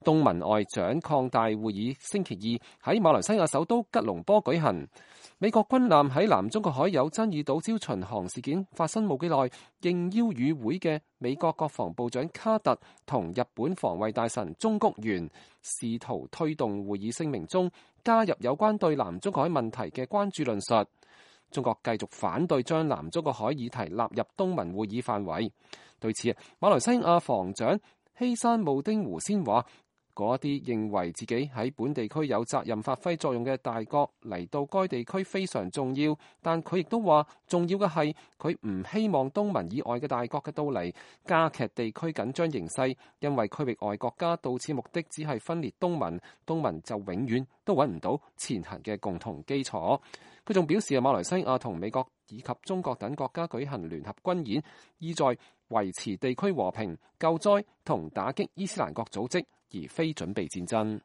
東盟外長擴大會議星期二喺馬來西亞首都吉隆坡舉行。美國軍艦喺南中國海有爭議島礁巡航事件發生冇幾耐，應邀與會嘅美國國防部長卡特同日本防衛大臣中谷元試圖推動會議聲明中加入有關對南中國海問題嘅關注論述。中國繼續反對將南中國海議題納入東盟會議範圍。對此，馬來西亞防長希山慕丁胡先話：嗰啲認為自己喺本地區有責任發揮作用嘅大國嚟到該地區非常重要，但佢亦都話重要嘅係佢唔希望東盟以外嘅大國嘅到嚟加劇地區緊張形勢，因為區域外國家到此目的只係分裂東盟，東盟就永遠都揾唔到前行嘅共同基礎。佢仲表示，馬來西亞同美國以及中國等國家舉行聯合軍演，意在維持地區和平、救災同打擊伊斯蘭國組織，而非準備戰爭。